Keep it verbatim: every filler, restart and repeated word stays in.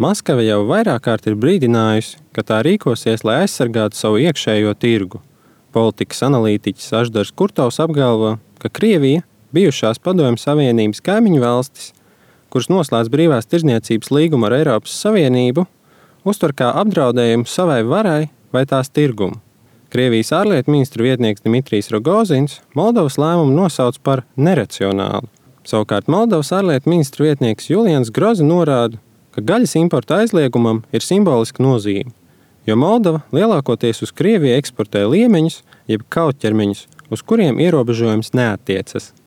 Maskava jau vairāk kārt ir brīdinājusi, ka tā rīkosies, lai aizsargātu savu iekšējo tirgu. Politikas analītiķis Aždars Kurtovs apgalvo, ka Krievija, bijušās Padomju Savienības kaimiņu valstis, kuras noslēdz brīvās tirdzniecības līgumu ar Eiropas Savienību, uztver kā apdraudējumu savai varai vai tās tirgumu. Krievijas ārlietu ministra vietnieks Dmitrijs Rogozins Moldovas lēmumu nosauc par neracionālu. Savukārt Moldovas ārlietu ministra vietnieks Julians Groza norāda, ka gaļas importa aizliegumam ir simboliska nozīme, jo Moldova lielākoties uz Krieviju eksportē liemeņus, jeb kautķermeņus, uz kuriem ierobežojums neattiecas.